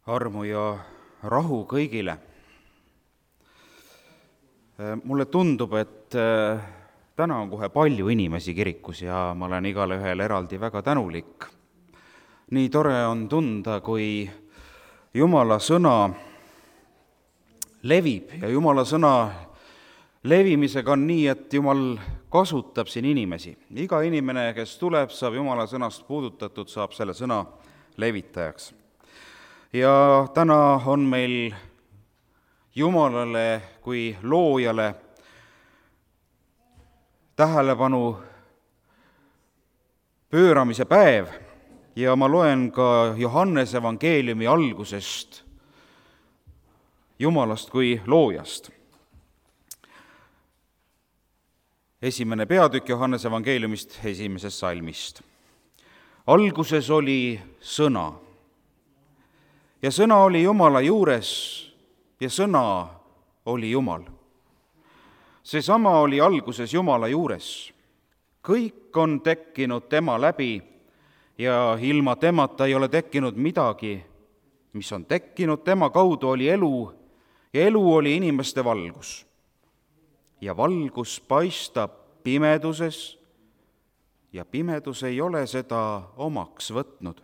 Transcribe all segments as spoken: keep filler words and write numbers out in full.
Armu ja rahu kõigile. Mulle tundub, et täna on kohe palju inimesi kirikus ja ma olen igale ühel eraldi väga tänulik. Nii tore on tunda, kui Jumala sõna levib ja Jumala sõna levimisega on nii, et Jumal kasutab siin inimesi. Iga inimene, kes tuleb, saab Jumala sõnast puudutatud, saab selle sõna levitajaks. Ja täna on meil Jumalale kui loojale tähelepanu pööramise päev ja ma loen ka Johannese evangeeliumi algusest Jumalast kui loojast. Esimene peatükk Johannese evangeeliumist esimesest salmist. Alguses oli sõna ja sõna oli Jumala juures ja sõna oli Jumal. Seesama oli alguses Jumala juures. Kõik on tekkinud tema läbi ja ilma temata ei ole tekkinud midagi, mis on tekkinud. Tema kaudu oli elu ja elu oli inimeste valgus. Ja valgus paistab pimeduses ja pimedus ei ole seda omaks võtnud.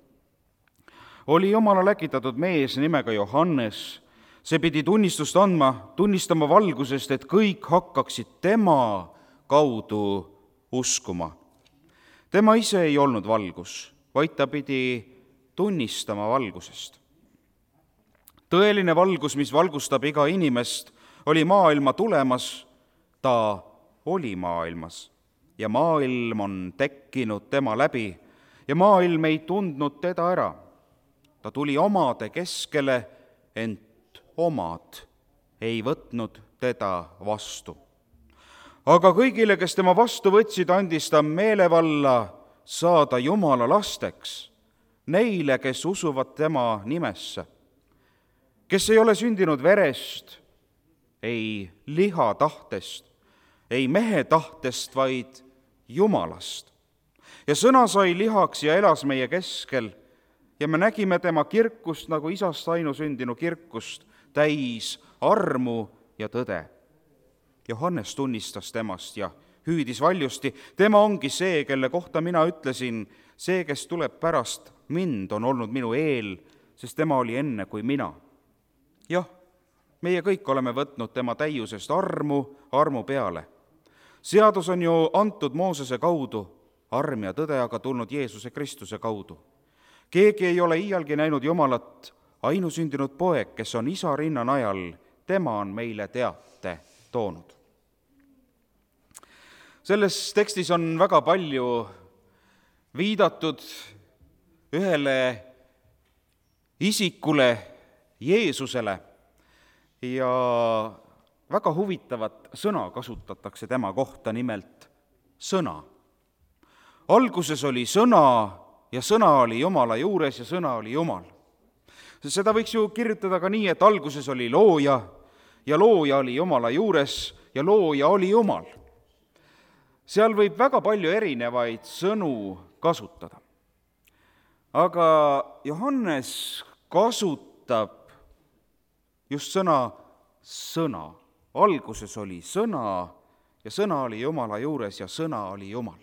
Oli Jumala läkitatud mees nimega Johannes. See pidi tunnistust andma, tunnistama valgusest, et kõik hakkaksid tema kaudu uskuma. Tema ise ei olnud valgus, vaid ta pidi tunnistama valgusest. Tõeline valgus, mis valgustab iga inimest, oli maailma tulemas, ta oli maailmas ja maailm on tekkinud tema läbi ja maailm ei tundnud teda ära. Ta tuli omade keskele, ent omad ei võtnud teda vastu. Aga kõigile, kes tema vastu võtsid, andis ta meelevalla saada Jumala lasteks, neile, kes usuvad tema nimesse, kes ei ole sündinud verest, ei liha tahtest, ei mehe tahtest, vaid Jumalast. Ja sõna sai lihaks ja elas meie keskel ja me nägime tema kirkust nagu isast ainusündinu kirkust, täis armu ja tõde. Johannes tunnistas temast ja hüüdis valjusti, tema ongi see, kelle kohta mina ütlesin, see, kes tuleb pärast mind, on olnud minu eel, sest tema oli enne kui mina. Jah, meie kõik oleme võtnud tema täiusest armu, armu peale. Seadus on ju antud Moosese kaudu, arm ja tõde aga tulnud Jeesuse Kristuse kaudu. Keegi ei ole iialgi näinud Jumalat, ainusündinud poeg, kes on isa rinna najal, tema on meile teate toonud. Selles tekstis on väga palju viidatud ühele isikule, Jeesusele, ja väga huvitavat sõna kasutatakse tema kohta, nimelt sõna. Alguses oli sõna ja sõna oli Jumala juures ja sõna oli Jumal. Seda võiks ju kirjutada ka nii, et alguses oli looja ja looja oli Jumala juures ja looja oli Jumal. Seal võib väga palju erinevaid sõnu kasutada. Aga Johannes kasutab just sõna sõna. Alguses oli sõna ja sõna oli Jumala juures ja sõna oli Jumal.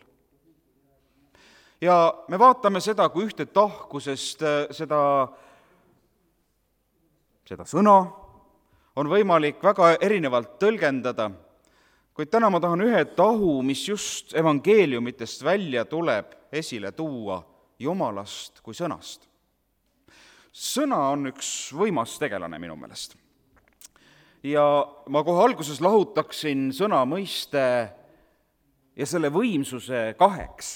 Ja me vaatame seda, kui ühte tahkusest seda, seda sõna on võimalik väga erinevalt tõlgendada, kuid täna ma tahan ühe tahu, mis just evangeeliumitest välja tuleb, esile tuua Jumalast kui sõnast. Sõna on üks võimas tegelane minu meelest. Ja ma kohe alguses lahutaksin sõna mõiste ja selle võimsuse kaheks.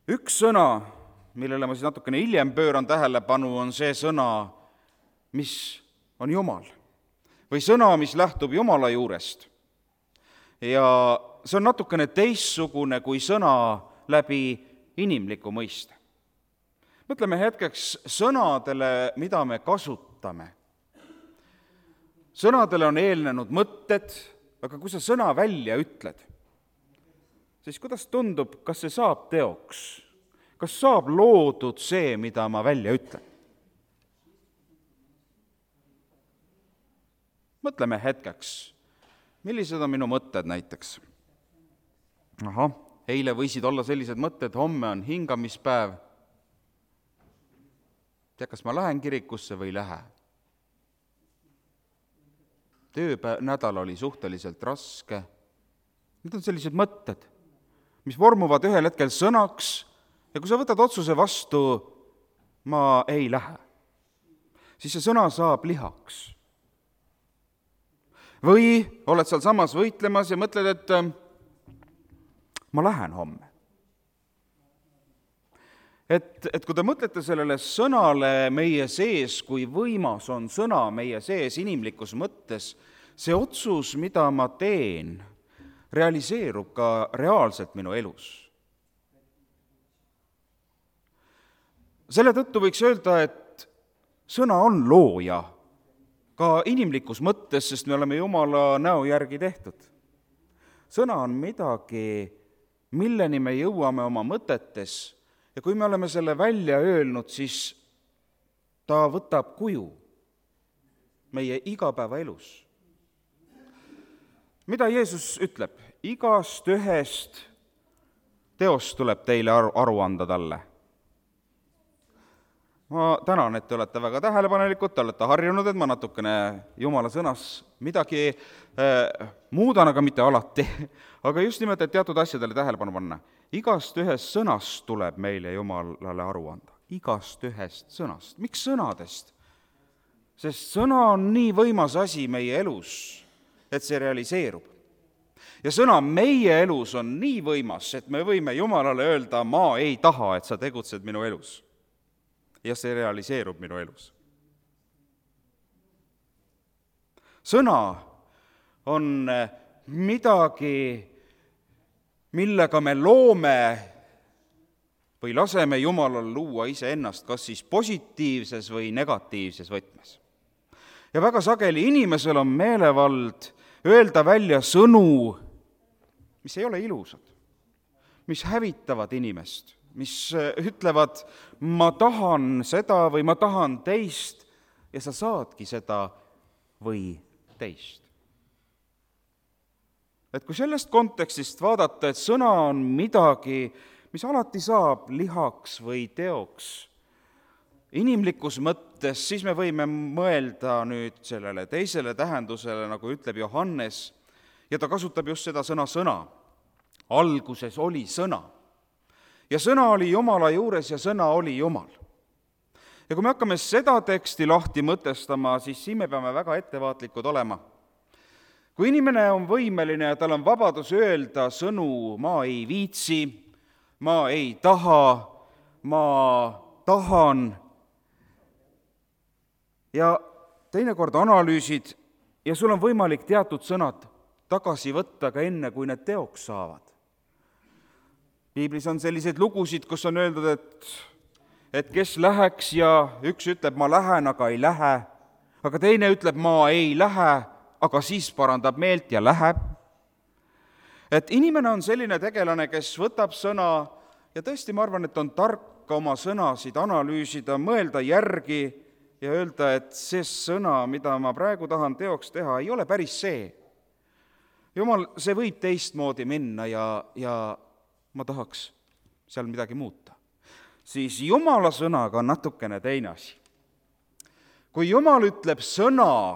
Üks sõna, millele ma siis natukene hiljem pööran tähelepanu, on see sõna, mis on Jumal. Või sõna, mis lähtub Jumala juurest. Ja see on natukene teistsugune kui sõna läbi inimliku mõiste. Mõtleme hetkeks sõnadele, mida me kasutame. Sõnadele on eelnenud mõtted, aga kui sa sõna välja ütled, siis kuidas tundub, kas see saab teoks? Kas saab loodud see, mida ma välja ütlen? mõtleme hetkeks, millised on minu mõtted näiteks. Ahah, eile võisid olla sellised mõtted, homme on hingamispäev. Tea, kas ma lähen kirikusse või ei lähe? Töönädal oli suhteliselt raske. Need on sellised mõtted, mis vormuvad ühel hetkel sõnaks ja kui sa võtad otsuse vastu, ma ei lähe, siis see sõna saab lihaks. Või oled seal samas võitlemas ja mõtled, et ma lähen homme. Et, et kui te mõtlete sellele sõnale meie sees, kui võimas on sõna meie sees inimlikus mõttes, see otsus, mida ma teen, realiseerub ka reaalselt minu elus. Selle tõttu võiks öelda, et sõna on looja, ka inimlikus mõttes, sest me oleme Jumala näo järgi tehtud. Sõna on midagi, milleni me jõuame oma mõtetes ja kui me oleme selle välja öelnud, siis ta võtab kuju meie igapäevaelus. Mida Jeesus ütleb? Igast ühest teost tuleb teile aru, aru anda talle. Ma tänan, et te olete väga tähelepanelikud, te olete harjunud, et ma natukene Jumala sõnas midagi äh, muudan, aga mitte alati. Aga just nimelt, et teatud asjadele tähelepanu panna. Igast ühest sõnast tuleb meile Jumalale aru anda. Igast ühest sõnast. Miks sõnadest? Sest sõna on nii võimas asi meie elus, et see realiseerub. Ja sõna meie elus on nii võimas, et me võime Jumalale öelda, ma ei taha, et sa tegutsed minu elus. Ja see realiseerub minu elus. Sõna on midagi, millega me loome või laseme Jumalal luua iseennast, kas siis positiivses või negatiivses võtmes. Ja väga sageli inimesel on meelevald öelda välja sõnu, mis ei ole ilusad, mis hävitavad inimest, mis ütlevad, ma tahan seda või ma tahan teist ja sa saadki seda või teist. Et kui sellest kontekstist vaadata, et sõna on midagi, mis alati saab lihaks või teoks, inimlikus mõttes, siis me võime mõelda nüüd sellele teisele tähendusele, nagu ütleb Johannes, ja ta kasutab just seda sõna sõna. Alguses oli sõna. Ja sõna oli Jumala juures ja sõna oli Jumal. Ja kui me hakkame seda teksti lahti mõtestama, siis siin me peame väga ettevaatlikud olema. Kui inimene on võimeline ja tal on vabadus öelda sõnu, ma ei viitsi, ma ei taha, ma tahan, ja teinekord analüüsid ja sul on võimalik teatud sõnad tagasi võtta ka enne, kui need teoks saavad. Piiblis on selliseid lugusid, kus on öeldud, et, et kes läheks ja üks ütleb, ma lähen, aga ei lähe, aga teine ütleb, ma ei lähe, aga siis parandab meelt ja läheb. Et inimene on selline tegelane, kes võtab sõna ja tõesti ma arvan, et on tark oma sõnasid analüüsida, mõelda järgi ja öelda, et see sõna, mida ma praegu tahan teoks teha, ei ole päris see. Jumal, see võib teistmoodi minna ja, ja ma tahaks seal midagi muuta. Siis Jumala sõnaga on natukene teine asi. Kui Jumal ütleb sõna,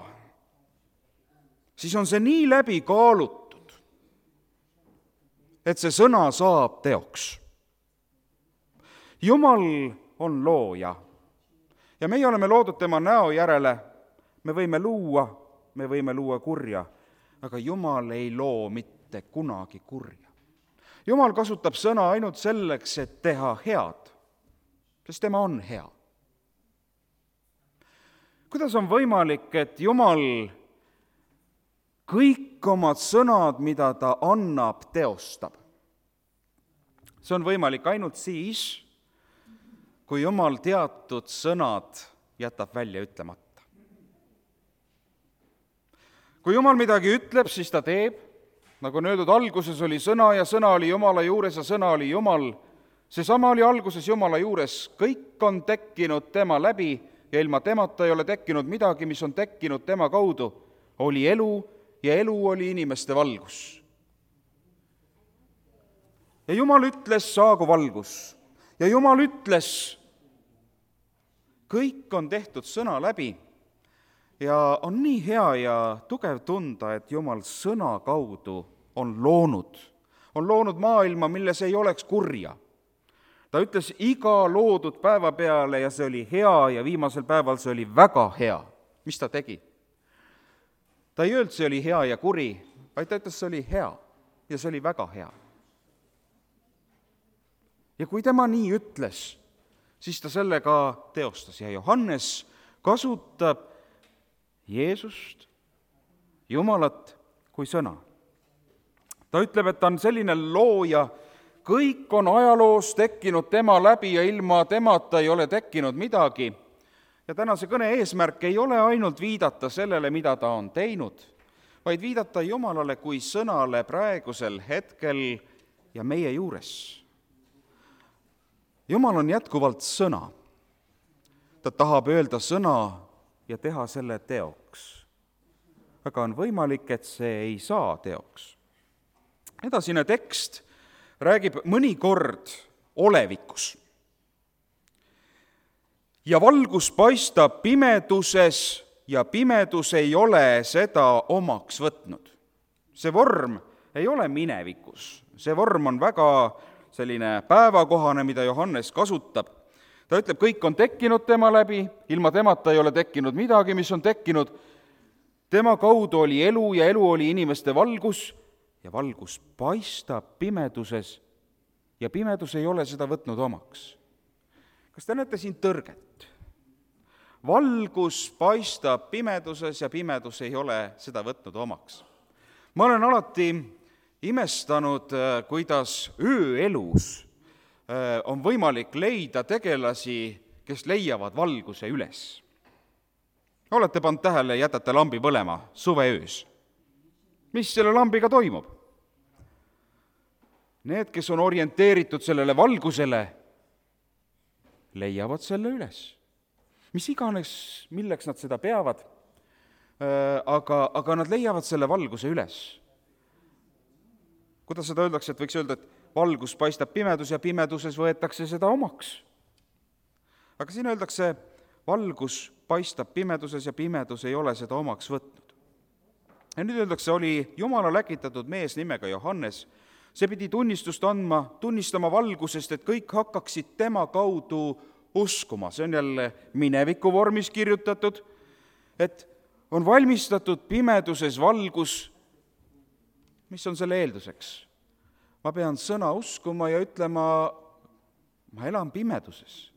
siis on see nii läbi kaalutud, et see sõna saab teoks. Jumal on looja ja meie oleme loodud tema näo järele. Me võime luua, me võime luua kurja, aga Jumal ei loo mitte kunagi kurja. Jumal kasutab sõna ainult selleks, et teha head, sest tema on hea. Kuidas on võimalik, et Jumal kõik omad sõnad, mida ta annab, teostab? See on võimalik ainult siis, kui Jumal teatud sõnad jätab välja ütlemata. Kui Jumal midagi ütleb, siis ta teeb. Nagu on öeldud, alguses oli sõna ja sõna oli Jumala juures ja sõna oli Jumal. Seesama oli alguses Jumala juures. Kõik on tekkinud tema läbi ja ilma temata ei ole tekkinud midagi, mis on tekkinud tema kaudu. oli elu ja elu oli inimeste valgus. Ja Jumal ütles, saagu valgus. Ja Jumal ütles, kõik on tehtud sõna läbi ja on nii hea ja tugev tunda, et Jumal sõna kaudu on loonud, on loonud maailma, milles ei oleks kurja. Ta ütles iga loodud päeva peale ja see oli hea ja viimasel päeval see oli väga hea. Mis ta tegi? Ta ei öelnud, see oli hea ja kuri, vaid ta ütles, see oli hea ja see oli väga hea. Ja kui tema nii ütles, siis ta selle ka teostas ja Johannes kasutab Jeesust, Jumalat kui sõna. Ta ütleb, et ta on selline looja, kõik on ajaloos tekkinud tema läbi ja ilma temata ei ole tekkinud midagi. Ja tänase kõne eesmärk ei ole ainult viidata sellele, mida ta on teinud, vaid viidata Jumalale kui sõnale praegusel hetkel ja meie juures. Jumal on jätkuvalt sõna. Ta tahab öelda sõna ja teha selle teoks. Aga on võimalik, et see ei saa teoks. Edasine tekst räägib mõnikord olevikus. Ja valgus paistab pimeduses ja pimedus ei ole seda omaks võtnud. See vorm ei ole minevikus. See vorm on väga selline päevakohane, mida Johannes kasutab. Ta ütleb, kõik on tekkinud tema läbi, ilma temata ei ole tekkinud midagi, mis on tekkinud. Tema kaudu oli elu ja elu oli inimeste valgus ja valgus paistab pimeduses ja pimedus ei ole seda võtnud omaks. Kas te näete siin tõrget? Valgus paistab pimeduses ja pimedus ei ole seda võtnud omaks. Ma olen alati imestanud, kuidas ööelus on võimalik leida tegelasi, kes leiavad valguse üles. Olete pannud tähele, jätate lambi põlema suveöös. Mis selle lambiga toimub? Need, kes on orienteeritud sellele valgusele, leiavad selle üles. Mis iganes, milleks nad seda peavad, aga, aga nad leiavad selle valguse üles. Kuidas seda öeldakse, et võiks öelda, et valgus paistab pimedus ja pimeduses võetakse seda omaks. Aga siin öeldakse, valgus paistab pimeduses ja pimedus ei ole seda omaks võtnud. Ja nüüd öeldakse, oli Jumala läkitatud mees nimega Johannes. See pidi tunnistust andma, tunnistama valgusest, et kõik hakkaksid tema kaudu uskuma. See on jälle mineviku vormis kirjutatud, et on valmistatud pimeduses valgus. Mis on selle eelduseks? Ma pean sõna uskuma ja ütlema, ma elan pimeduses.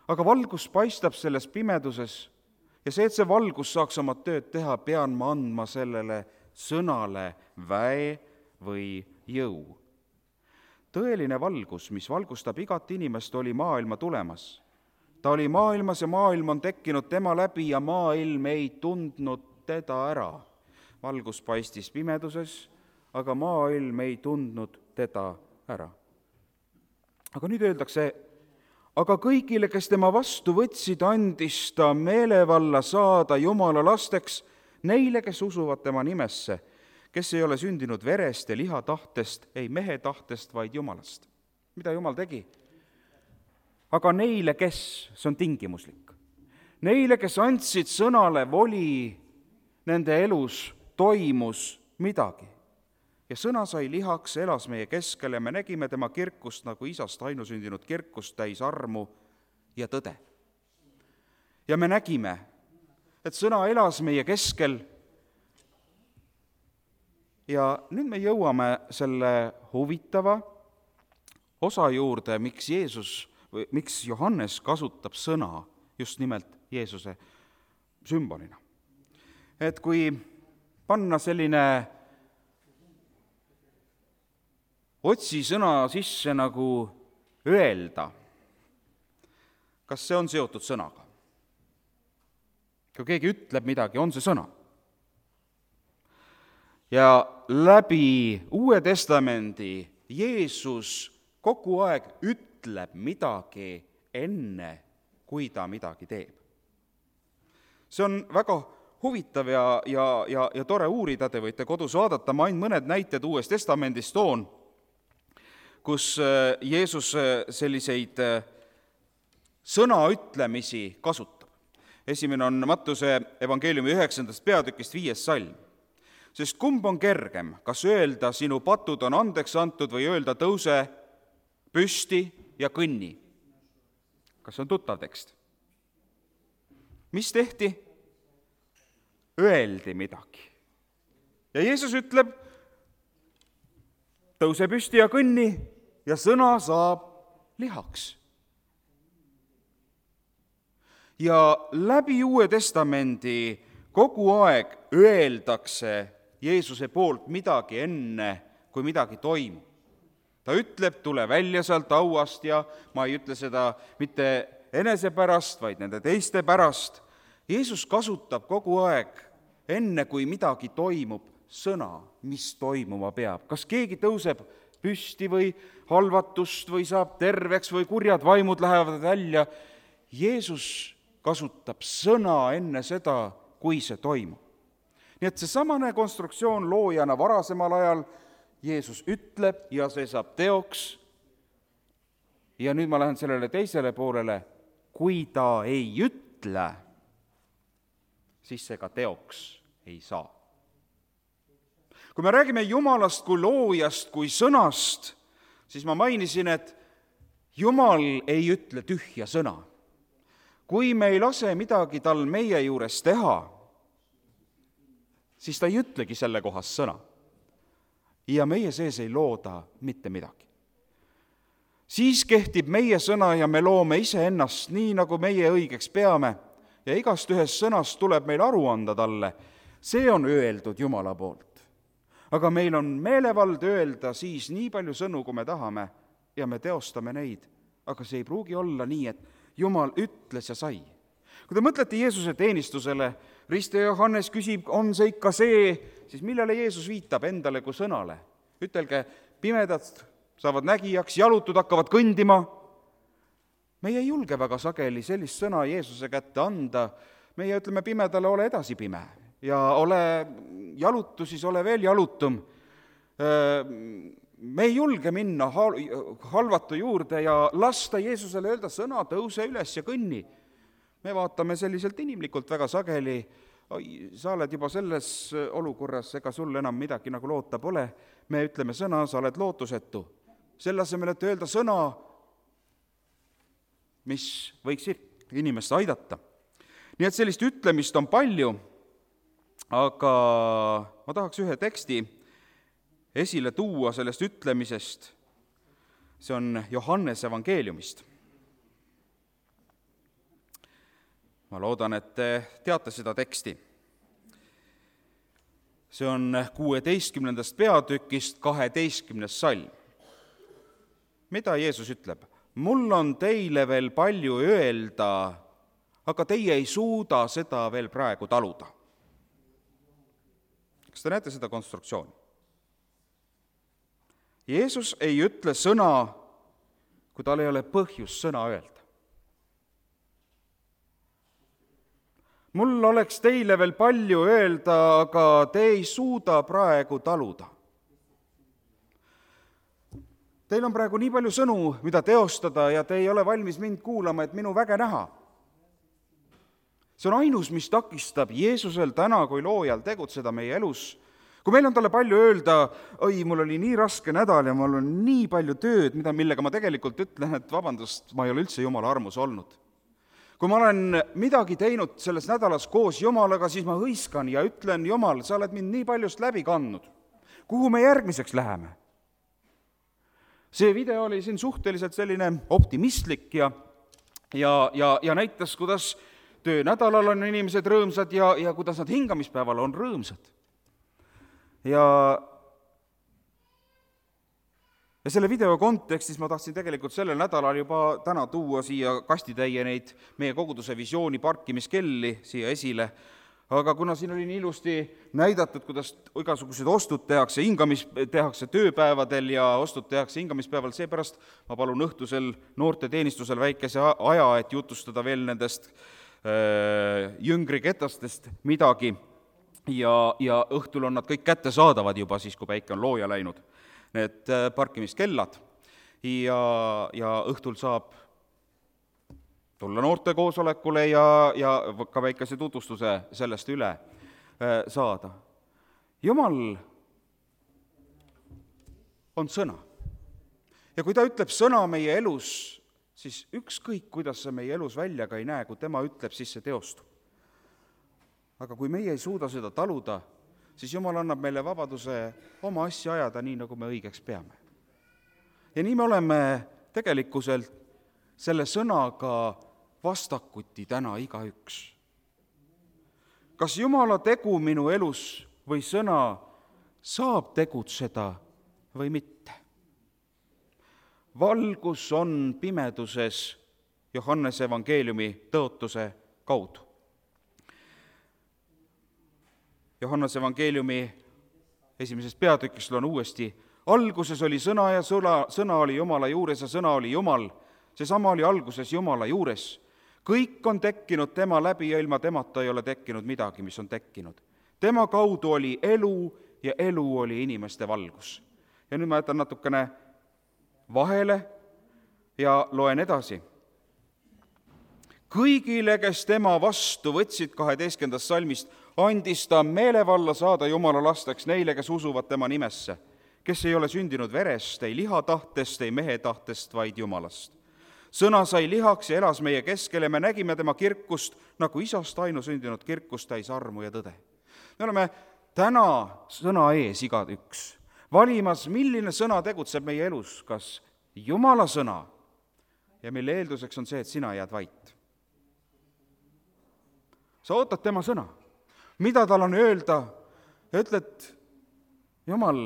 Aga valgus paistab selles pimeduses ja see, et see valgus saaks oma tööd teha, pean ma andma sellele sõnale väe või jõu. Tõeline valgus, mis valgustab igat inimest, oli maailma tulemas. Ta oli maailmas ja maailm on tekkinud tema läbi ja maailm ei tundnud teda ära. Valgus paistis pimeduses, aga maailm ei tundnud teda ära. Aga nüüd öeldakse, aga kõigile, kes tema vastu võtsid, andis ta meelevalla saada Jumala lasteks, neile, kes usuvad tema nimesse, kes ei ole sündinud verest ja liha tahtest, ei mehe tahtest, vaid Jumalast. Mida Jumal tegi? Aga neile, kes, see on tingimuslik, neile, kes andsid sõnale voli, nende elus toimus midagi. Ja sõna sai lihaks, elas meie keskel ja me nägime tema kirkust nagu isast ainusündinud kirkust täis armu ja tõde. Ja me nägime, et sõna elas meie keskel ja nüüd me jõuame selle huvitava osa juurde, miks Jeesus, või miks Johannes kasutab sõna just nimelt Jeesuse sümbolina. Et kui panna selline otsi sõna sisse nagu öelda, kas see on seotud sõnaga? Kui keegi ütleb midagi, on see sõna. Ja läbi Uue Testamendi Jeesus kogu aeg ütleb midagi enne, kui ta midagi teeb. See on väga huvitav ja, ja, ja, ja tore uurida, te võite kodus vaadata, ma ainult mõned näited Uuest Testamendist toon, kus Jeesus selliseid sõnaütlemisi kasutab. Esimene on Mattuse evangeeliumi üheksandast peatükist viies salm. Sest kumb on kergem, kas öelda, sinu patud on andeks antud või öelda, tõuse püsti ja kõnni? Kas on tuttav tekst? Mis tehti? Öeldi midagi. Ja Jeesus ütleb, tõuse püsti ja kõnni ja sõna saab lihaks. Ja läbi Uue Testamendi kogu aeg öeldakse Jeesuse poolt midagi enne, kui midagi toimub. Ta ütleb, tule välja sealt hauast ja ma ei ütle seda mitte enese pärast, vaid nende teiste pärast. Jeesus kasutab kogu aeg, enne kui midagi toimub, sõna, mis toimuma peab. Kas keegi tõuseb püsti või halvatust või saab terveks või kurjad vaimud lähevad välja. Jeesus kasutab sõna enne seda, kui see toimub. Nii et see samane konstruktsioon loojana varasemal ajal Jeesus ütleb ja see saab teoks. Ja nüüd ma lähen sellele teisele poolele, kui ta ei ütle, siis see ka teoks ei saa. Kui me räägime Jumalast kui loojast, kui sõnast, siis ma mainisin, et Jumal ei ütle tühja sõna. Kui me ei lase midagi tal meie juures teha, siis ta ei ütlegi selle kohas sõna. Ja meie sees ei looda mitte midagi. Siis kehtib meie sõna ja me loome iseennast nii, nagu meie õigeks peame ja igast ühest sõnast tuleb meil aru anda talle. See on öeldud Jumala poolt. Aga meil on meelevald öelda siis nii palju sõnu, kui me tahame ja me teostame neid. Aga see ei pruugi olla nii, et Jumal ütles ja sai. Kui te mõtlete Jeesuse teenistusele, Riste Johannes küsib, on see ikka see, siis millele Jeesus viitab endale kui sõnale? Ütelge, pimedad saavad nägijaks, jalutud hakkavad kõndima. Meie ei julge väga sageli sellist sõna Jeesuse kätte anda. Meie ütleme pimedale, ole edasi pime ja ole jalutu, siis ole veel jalutum. Me ei julge minna halvatu juurde ja lasta Jeesusele öelda sõna, tõuse üles ja kõnni. Me vaatame selliselt inimlikult väga sageli, oi, sa oled juba selles olukorras, ega sul enam midagi nagu loota pole. Me ütleme sõna, sa oled lootusetu. Selle asemel, et öelda sõna, mis võiks inimest aidata. Nii et sellist ütlemist on palju, aga ma tahaks ühe teksti esile tuua sellest ütlemisest. See on Johannese evangeeliumist. Ma loodan, et te teate seda teksti. See on kuueteistkümnendast peatükist kaheteistkümnes salm. Mida Jeesus ütleb? Mul on teile veel palju öelda, aga teie ei suuda seda veel praegu taluda. Kas te näete seda konstruktsiooni? Jeesus ei ütle sõna, kui tal ei ole põhjus sõna öelda. Mul oleks teile veel palju öelda, aga te ei suuda praegu taluda. Teil on praegu nii palju sõnu, mida teostada ja te ei ole valmis mind kuulama, et minu väge näha. See on ainus, mis takistab Jeesusel täna kui loojal tegutseda meie elus. Kui meil on talle palju öelda, oi, mul oli nii raske nädal ja mul on nii palju tööd, mida, millega ma tegelikult ütlen, et vabandust, ma ei ole üldse Jumala armus olnud. Kui ma olen midagi teinud selles nädalas koos Jumalaga, siis ma hõiskan ja ütlen, Jumal, sa oled mind nii paljust läbi kandnud. Kuhu me järgmiseks läheme? See video oli siin suhteliselt selline optimistlik ja, ja, ja, ja näitas, kuidas töönädalal on inimesed rõõmsad ja, ja kuidas nad hingamispäeval on rõõmsad. Ja, ja selle video kontekstis ma tahtsin tegelikult sellel nädalal juba täna tuua siia kastitäie neid meie koguduse visiooni parkimiskelli siia esile, aga kuna siin oli nii ilusti näidatud, kuidas igasugused ostud tehakse, hingamis, tehakse tööpäevadel ja ostud tehakse hingamispäeval, seepärast ma palun õhtusel noorte teenistusel väikese aja, et jutustada veel nendest jüngri ketastest midagi ja, ja õhtul on nad kõik kättesaadavad juba siis, kui päike on looja läinud, need parkimiskellad, ja, ja õhtul saab tulla noortekoosolekule ja, ja ka väikese tutvustuse sellest üle saada. Jumal on sõna. Ja kui ta ütleb sõna meie elus, siis ükskõik, kuidas see meie elus välja ka ei näe, kui tema ütleb, siis see teostub. Aga kui meie ei suuda seda taluda, siis Jumal annab meile vabaduse oma asja ajada nii, nagu me õigeks peame. Ja nii me oleme tegelikkuselt selle sõnaga vastakuti täna igaüks. Kas Jumala tegu minu elus või sõna saab tegutseda või mitte? Valgus on pimeduses Johannese evangeeliumi tõotuse kaudu. Johannese evangeeliumi esimeses peatükis on uuesti: alguses oli sõna ja sõna, sõna oli Jumala juures ja sõna oli Jumal. Seesama oli alguses Jumala juures. Kõik on tekkinud tema läbi ja ilma temata ei ole tekkinud midagi, mis on tekkinud. Tema kaudu oli elu ja elu oli inimeste valgus. Ja nüüd ma jätan natukene vahele ja loen edasi. Kõigile, kes tema vastu võtsid, kaheteistkümnendast salmist, andis ta meelevalla saada Jumala lasteks neile, kes usuvad tema nimesse, kes ei ole sündinud verest, ei liha tahtest, ei mehe tahtest, vaid Jumalast. Sõna sai lihaks ja elas meie keskel ja me nägime tema kirkust, nagu isast ainusündinud kirkust täis armu ja tõde. Me oleme täna sõna ees igaüks, valimas, milline sõna tegutseb meie elus, kas Jumala sõna, ja mille eelduseks on see, et sina jääd vait. Sa ootad tema sõna, mida tal on öelda, ja ütled: Jumal,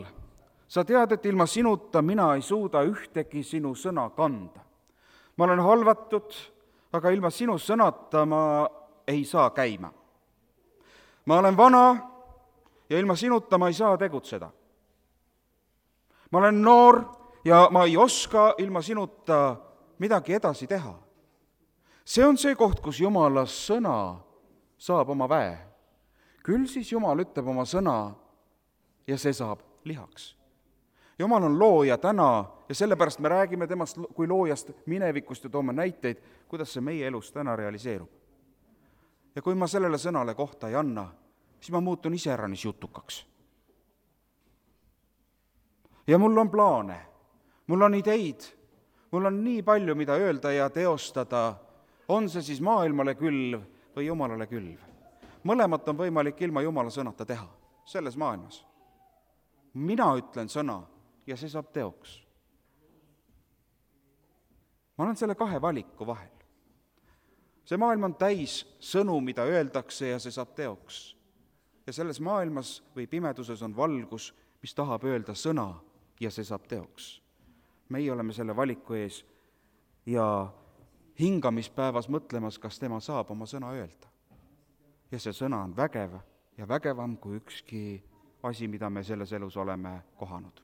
sa tead, et ilma sinuta mina ei suuda ühtegi sinu sõna kanda. Ma olen halvatud, aga ilma sinu sõnata ma ei saa käima. Ma olen vana ja ilma sinuta ma ei saa tegutseda. Ma olen noor ja ma ei oska ilma sinuta midagi edasi teha. See on see koht, kus Jumala sõna saab oma väe. Küll siis Jumal ütleb oma sõna ja see saab lihaks. Jumal on looja täna ja sellepärast me räägime temast kui loojast minevikust ja toome näiteid, kuidas see meie elus täna realiseerub. Ja kui ma sellele sõnale kohta ei anna, siis ma muutun iseäranis jutukaks. Ja mul on plaane, mul on ideid, mul on nii palju, mida öelda ja teostada, on see siis maailmale külv või Jumalale külv. Mõlemat on võimalik ilma Jumala sõnata teha selles maailmas. Mina ütlen sõna ja see saab teoks. Ma olen selle kahe valiku vahel. See maailm on täis sõnu, mida öeldakse ja see saab teoks. Ja selles maailmas või pimeduses on valgus, mis tahab öelda sõna ja see saab teoks. Meie oleme selle valiku ees ja hingamispäevas mõtlemas, kas tema saab oma sõna öelda. Ja see sõna on vägev ja vägevam kui ükski asi, mida me selles elus oleme kohanud.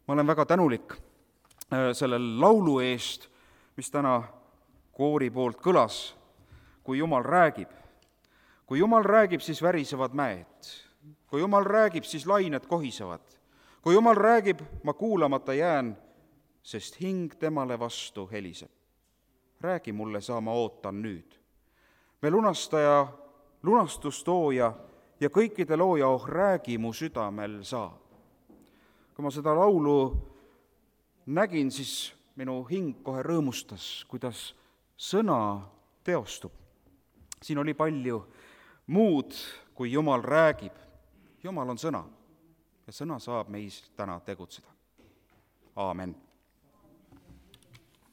Ma olen väga tänulik selle laulu eest, mis täna koori poolt kõlas, kui Jumal räägib. Kui Jumal räägib, siis värisevad mäed. Kui Jumal räägib, siis lained kohisevad. Kui Jumal räägib, ma kuulamata jään, sest hing temale vastu heliseb. Räägi mulle, saa ma ootan nüüd. Me lunastaja, lunastustooja ja kõikide looja, oh räägi mu südamel saa. Kui ma seda laulu nägin, siis minu hing kohe rõõmustas, kuidas sõna teostub. Siin oli palju muud, kui Jumal räägib. Jumal on sõna ja sõna saab meis täna tegutseda. Aamen.